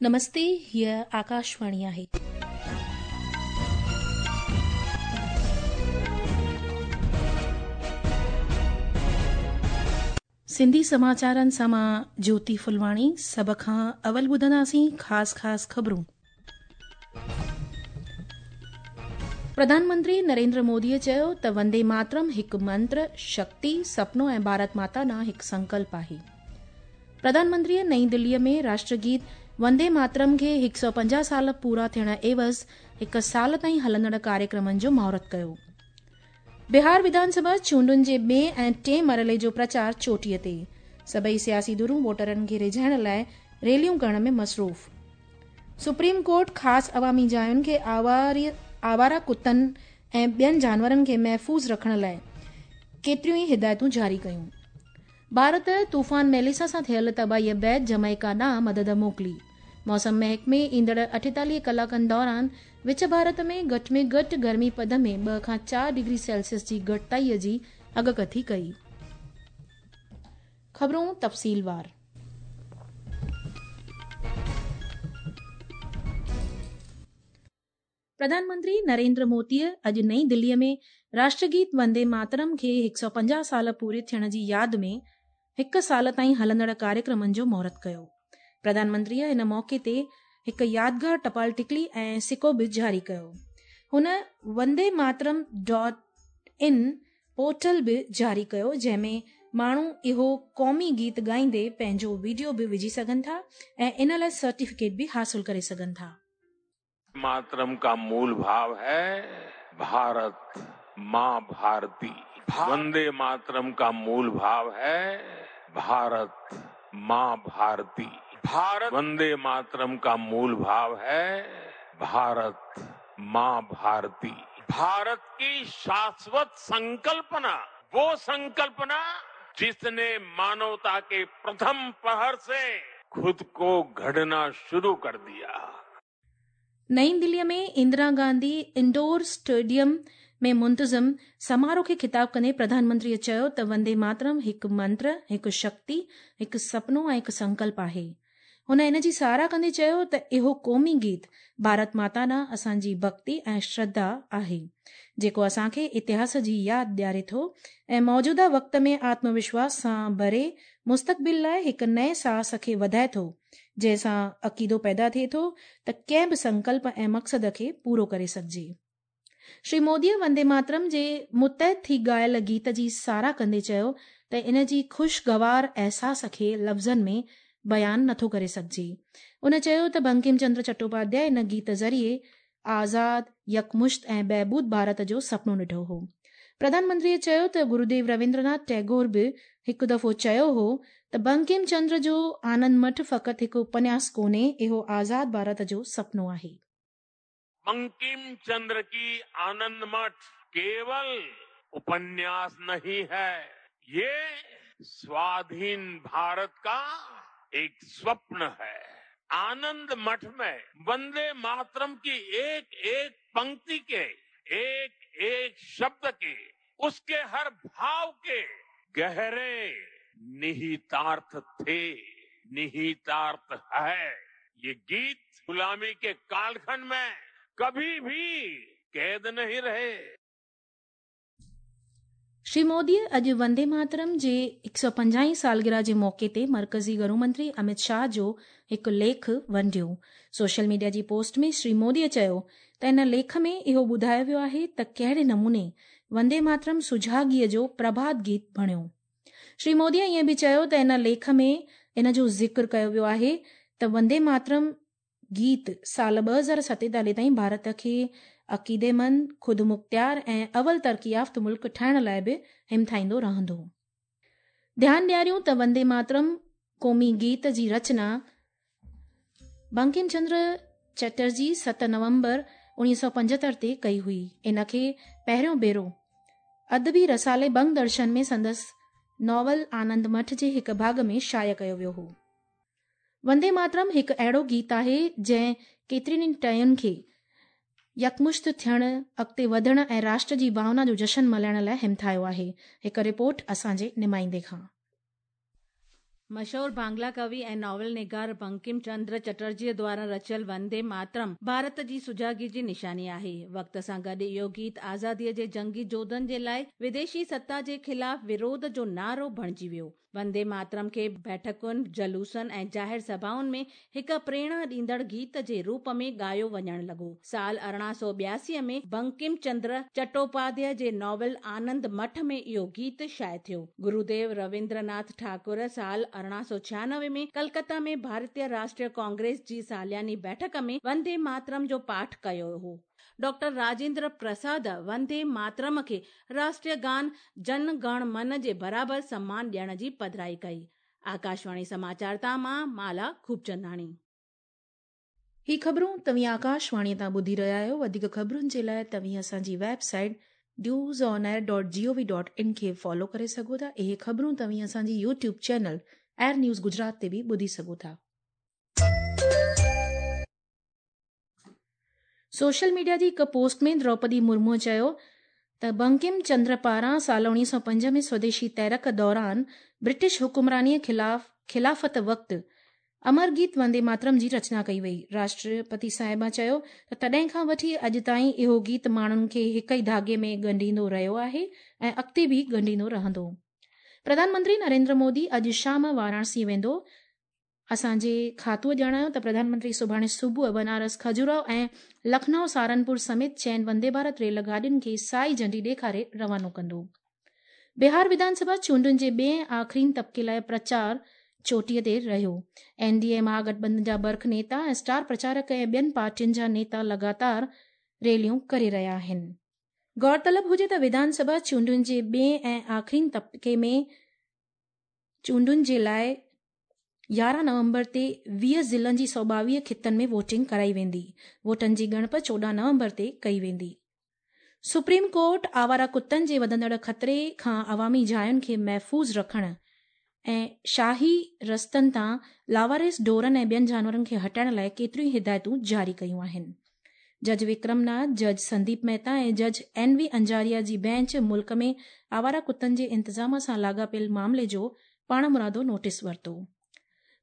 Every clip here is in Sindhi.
نمستي هيء آڪاشواڻي آهي. سنڌي سماچارن سان مان جوتي ڦلواڻي سڀ کان اول ٻڌنداسين خاص خاص خبرون. پرڌان منتري نريندر موديء چيو ته وندي ماترم هڪ منتر، شڪتي، سپنو ۽ ڀارت ماتا ڏانهن هڪ سنڪلپ آهي. پرڌان منتريء نئين دليء ۾ راشٽر گيت وندي ماترم کي 150 سال پورا ٿيڻ عيوض هڪ سال تائين هلندڙ ڪاريڪرمن جو مهورت ڪيو. بهار وڌان سڀا چونڊن جي ٻئين ۽ ٽئين مرحلي جو پرچار چوٽيء تي، سڀئي سياسي ڌرون ووٽرن کي ريجهائڻ لاء ريليون ڪرڻ ۾ مصروف. سپريم ڪورٽ خاص عوامي جاين کي آواره ڪتن ۽ ٻين جانورن کي محفوظ رکڻ لاء ڪيتريون ئي هدايتون جاري ڪيون. ڀارت طوفان ميليسا سان ٿيل تباهيء بعد جمائيڪا ڏانهن مدد موڪلي. موسم محڪمي ايندڙ 48 ڪلاڪن دوران وچ ڀارت ۾ گهٽ ۾ گهٽ گرمي پد ۾ 2 کان 4 ڊگري سيلسيس جي گهٽتائي جي اڳڪٿي ڪئي. خبرون تفصيلوار. پرڌان منتري نريندر موديء اڄ نئين دليء ۾ راشٽرگيت وندي ماترم کي 150 سال پوري ٿيڻ جي ياد ۾ هڪ سال تائين هلندڙ ڪاريڪرمن جو مهورت ڪيو. پرڌان منتريء ان موقعي تي هڪ يادگار ٽپال ٽڪلي ۽ سڪو به جاري ڪيو. هن وندي ماترم ڊاٽ ان پورٽل به جاري ڪيو جنهن ۾ ماڻهو اهو قومي گيت ڳائيندي پنهنجو وڊيو به وجهي سگهن ٿا ۽ ان لاء سرٽيفڪيٽ به حاصل ڪري سگهن ٿا. मातरम का मूल भाव है भारत मां भारती। वंदे मातरम का मूल भाव है भारत मां भारती। भारत वंदे मातरम का मूल भाव है भारत मां भारती। भारत की शाश्वत संकल्पना, वो संकल्पना जिसने मानवता के प्रथम प्रहर से खुद को गढ़ना शुरू कर दिया। نئين دليء ۾ اندرا گانڌي انڊور اسٽيڊيم ۾ منتظم سماروهه کي خطاب ڪندي پرڌان منتريء چيو ته وندي ماترم هڪ منتر، هڪ شڪتي، هڪ سپنو ۽ هڪ سنڪلپ آهي. هن ان جي ساراهه ڪندي چيو ته اهو قومي گيت ڀارت ماتا ڏانهن اسان جي ڀڳتي ۽ شرڌا آهي، جيڪو اسان کي اتهاس جي ياد ڏياري ٿو ۽ موجوده وقت ۾ آتم وشواس سان ڀري مستقبل لاء هڪ نئين ساهس کي وڌائي ٿو، جنهن سان عقيدو پيدا ٿئي ٿو ته ڪنهن به سنڪلپ ۽ مقصد کي پورو ڪري سگهجي. شري موديء وندي ماترم جي متحد ٿي ڳايل گيت جي ساراهه ڪندي چيو ته ان جي خوشگوار احساس کي لفظن ۾ بيان نٿو ڪري سگهجي. ان چيو ته بنڪم چندر چٽوپاڌيائي ان گيت ذريعي آزاد، يڪمشت ۽ بهبود ڀارت جو سپنو ڏٺو هو. پرڌان منتريء چيو ته گروديو رويندرناٿ ٽئگور به هڪ دفعو چيو هو ته بنڪم چندر جو آنند مٺ فقط هڪ اپنياس ڪونهي، اهو آزاد ڀارت جو سپنو آهي. بنڪم چندر ڪي آنند مٺ ڪيول اپنياس نهين هي، يه سوادهين ڀارت ڪا ايڪ سوپن هي. آنند مٺ ۾ وندي ماترم ڪي ايڪ ايڪ پنڪتي ڪي ايڪ ايڪ شبد ڪي اس ڪي هر ڀاو ڪي گهري نهيتارٿ ٿي، نهيتارٿ هي. يه گيت غلامي ڪي ڪالکنڊ ۾ ڪڀي ڀي قيد نهين رهي. شري موديء اڄ وندي ماترم جي 150 هين سالگرهه جي موقعي تي مرڪزي گهرو منتري امت شاهه جو هڪ ليک ونڊيو. سوشل ميڊيا جي پوسٽ ۾ شري موديء چيو ته ان ليک ۾ اهو ٻڌايو ويو آهي ته ڪهڙي نموني وندي ماترم سجاڳيء جو پرڀات گيت بڻيو. شري موديء ائين به چيو ته ان ليک ۾ ان جو ذڪر ڪيو ويو آهي ته وندي ماترم گيت سال 2047 تائين ڀارت کي عقيديمند، خودمختيار ۽ اول ترقي يافته ملڪ ٺاهڻ لاء به همٿائيندو رهندو. ڌيان ڏياريون ته وندي ماترم قومي گيت جي رچنا بنڪم چندر چٽرجي 7 نومبر 1975 تي ڪئي هئي. ان کي پهريون ڀيرو ادبي رسالي بنگ درشن ۾ سندس ناول آنند مٺ جي هڪ ڀاڳ ۾ شايع ڪيو ويو هو. وندي ماترم هڪ اهڙو گيت آهي جنهن ڪيترين ئي ٽهين کي يڪمشت ٿيڻ، اڳتي وڌڻ ۽ راشٽر جي ڀاونا جو جشن ملهائڻ لاء همٿايو آهي. هڪ رپورٽ اسان جي نمائندي کان. مشهور بانگلا ڪوي ۽ ناول نگار بنڪم چندر چٽرجيء دواران رچيل وندي ماترم ڀارت جي سجاڳي جي نشاني آهي. وقت سان گڏ اهو گيت آزاديء جي جنگي جوڌن جي لاء وديشي ستا جي خلاف وروڌ جو نعرو بڻجي ويو. وندي ماترم کي بيٺڪن، جلوسن ۽ ظاهر سڀائن ۾ هڪ پريرڻا ڏيندڙ گيت جي روپ ۾ ڳايو وڃڻ لڳو. سال 1882 ۾ بنڪم چندر چٽوپاڌيه جي ناول آنند مٺ ۾ اهو گيت شايع ٿيو. گروديو رويندرناٿ ٺاڪر سال 1896 ۾ ڪلڪتا ۾ ڀارتيه راشٽريه ڪانگريس جي سالياني بيٺڪ ۾ وندي ماترم جو پاٺ ڪيو هو. ڊاڪٽر راجيندر پرساد وندي ماترم کي راشٽريه گان جن گڻ من جي برابر سمان ڏيڻ جي پڌرائي ڪئي. آڪاشواڻي سماچار تان مان مالا خوبچنداڻي. هي خبرون توهين آڪاشواڻي تان ٻڌي رهيا آهيو. وڌيڪ خبرن جي لاء توهين اسان جي website news on air dot G O V dot in کي فالو ڪري سگهو ٿا. اهي خبرون توهين اسان جي YouTube channel air news Gujarat تي به ٻڌي سگهو ٿا. سوشل ميڊيا جي هڪ پوسٽ ۾ دروپدي مرموء چيو ته بنڪم چندر پاران سال 1905 ۾ سوديشي تحرڪ دوران برٽش حڪمرانيء خلاف خلافت وقت امر گيت وندي ماترم جي رچنا ڪئي وئي. راشٽرپتي صاحبه چيو ته تڏهن کان وٺي اڄ تائين اهو گيت ماڻهن کي هڪ ئي ڌاڳي ۾ ڳنڍيندو رهيو آهي ۽ اڳتي به ڳنڍيندو رهندو. پرڌان منتري نريندر مودي اڄ شام واراڻسي ويندو. اسان جي کاتوء ڄاڻايو ته پرڌان منتري سڀاڻي صبح بنارس کجوراهو ۽ لکنؤ سهارنپور سميت چئن وندي ڀارت ريل گاڏين کي سائي جهنڊي ڏيکاري روانو ڪندو. بهار وڌان سڀا چونڊن جي ٻئين ۽ آخرين طبقي لاء پرچار چوٽيء تي رهيو. اين ڊي اي مهاگٺبنڌن جا برک نيتا ۽ اسٽار پرچارڪ ۽ ٻين پارٽين جا نيتا لڳاتار ريليون ڪري رهيا آهن. غور طلب هجي ته وڌان سڀا چونڊن جي ٻئين ۽ آخرين طبقي ۾ چونڊن جي لاء 11 نومبر تي 20 ضلعن جي 122 خطن ۾ ووٽنگ ڪرائي ويندي. ووٽن جي ڳڻپ 14 نومبر تي ڪئي ويندي. سپريم ڪورٽ آواره ڪتن جي وڌندڙ خطري کان عوامي جاين کي محفوظ رکڻ ۽ شاهي رستن تان لاوارث ڍورن ۽ ٻين جانورن کي هٽائڻ لاء ڪيتريون ئي هدايتون جاري ڪيون آهن. جج وڪرم ناٿ، جج سنديپ مهتا ۽ جج اين وي انجاريا جي بينچ ملڪ ۾ آواره ڪتن جي انتظام سان لاڳاپيل معاملي جو پاڻمرادو نوٽيس ورتو.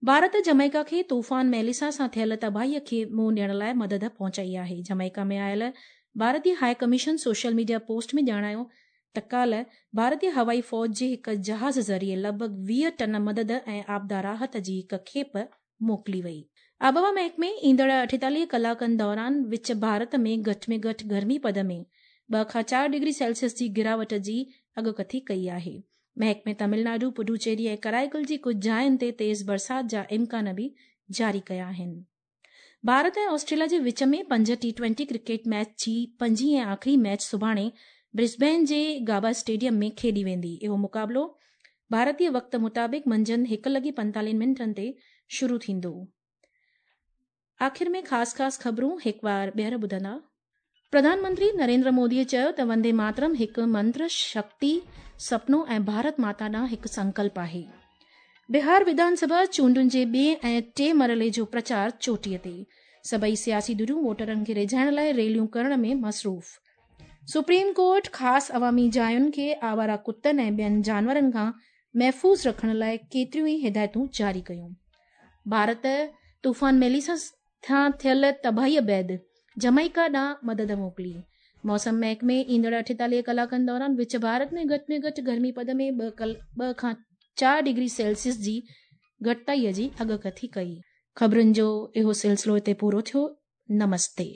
ڀارت جمائيڪا کي طوفان ميليسا سان ٿيل تباهي کي منهن ڏيڻ لاء مدد پهچائي آهي. جمائيڪا ۾ آيل ڀارتي high commission social media post ۾ ڄاڻايو ته ڪالهه ڀارتي هوائي فوج جي هڪ جهاز ذريعي لڳ ڀڳ 20 ٽن مدد ۽ آپدا راحت جي هڪ کيپ موڪلي وئي. آبهوا محڪمي ايندڙ 48 ڪلاڪن دوران وچ ڀارت ۾ گهٽ ۾ گهٽ گرمي پد ۾ 2 کان 4 ڊگري سيلسيس جي گراوٽ جي اڳڪٿي ڪئي آهي. محڪمي تامل ناڊو، پڊوچيري ۽ ڪرائيڪل جي ڪجهه جاين تي تيز برسات جا امڪان به جاري ڪيا آهن. ڀارت ۽ آسٽريليا جي وچ ۾ پنج ٽي ٽوئنٽي ڪرڪيٽ ميچ جي پنجين ۽ آخري ميچ سڀاڻي برسبين جي گابا اسٽيڊيم ۾ کيڏي ويندي. اهو مقابلو ڀارتي وقت مطابق منجهند 1:45 تي شروع ٿيندو. آخر ۾ خاص خاص خبرون هڪ وار ٻيهر ٻڌندا. پرڌان منتري نريندر مودي چيو ته وندي ماترم هڪ منتر، شڪتي، سپنو ۽ ڀارت ماتا ڏانهن هڪ سنڪلپ آهي. بهار وڌان سڀا چونڊن جي ٻئين ۽ ٽئين مرحلي جو پرچار چوٽيء تي، سڀئي سياسي ڌريون ووٽرن کي ريجهائڻ لاء ريليون ڪرڻ ۾ مصروف. سپريم ڪورٽ خاص عوامي جاين کي آواره ڪتن ۽ ٻين جانورن کان محفوظ رکڻ لاء ڪيتريون ئي هدايتون جاري ڪيون. ڀارت طوفان ميليسا سان ٿيل تباهيء بعد جمائيڪا ڏانهن مدد موڪلي. موسم محڪمي ايندڙ 48 ڪلاڪن دوران وچ ڀارت ۾ گهٽ ۾ گهٽ گرمي پد ۾ 2 کان 4 ڊگري سيلسيس جي گهٽتائي جي اڳڪٿي ڪئي. خبرن جو اهو سلسلو هتي پورو ٿيو. نمستي.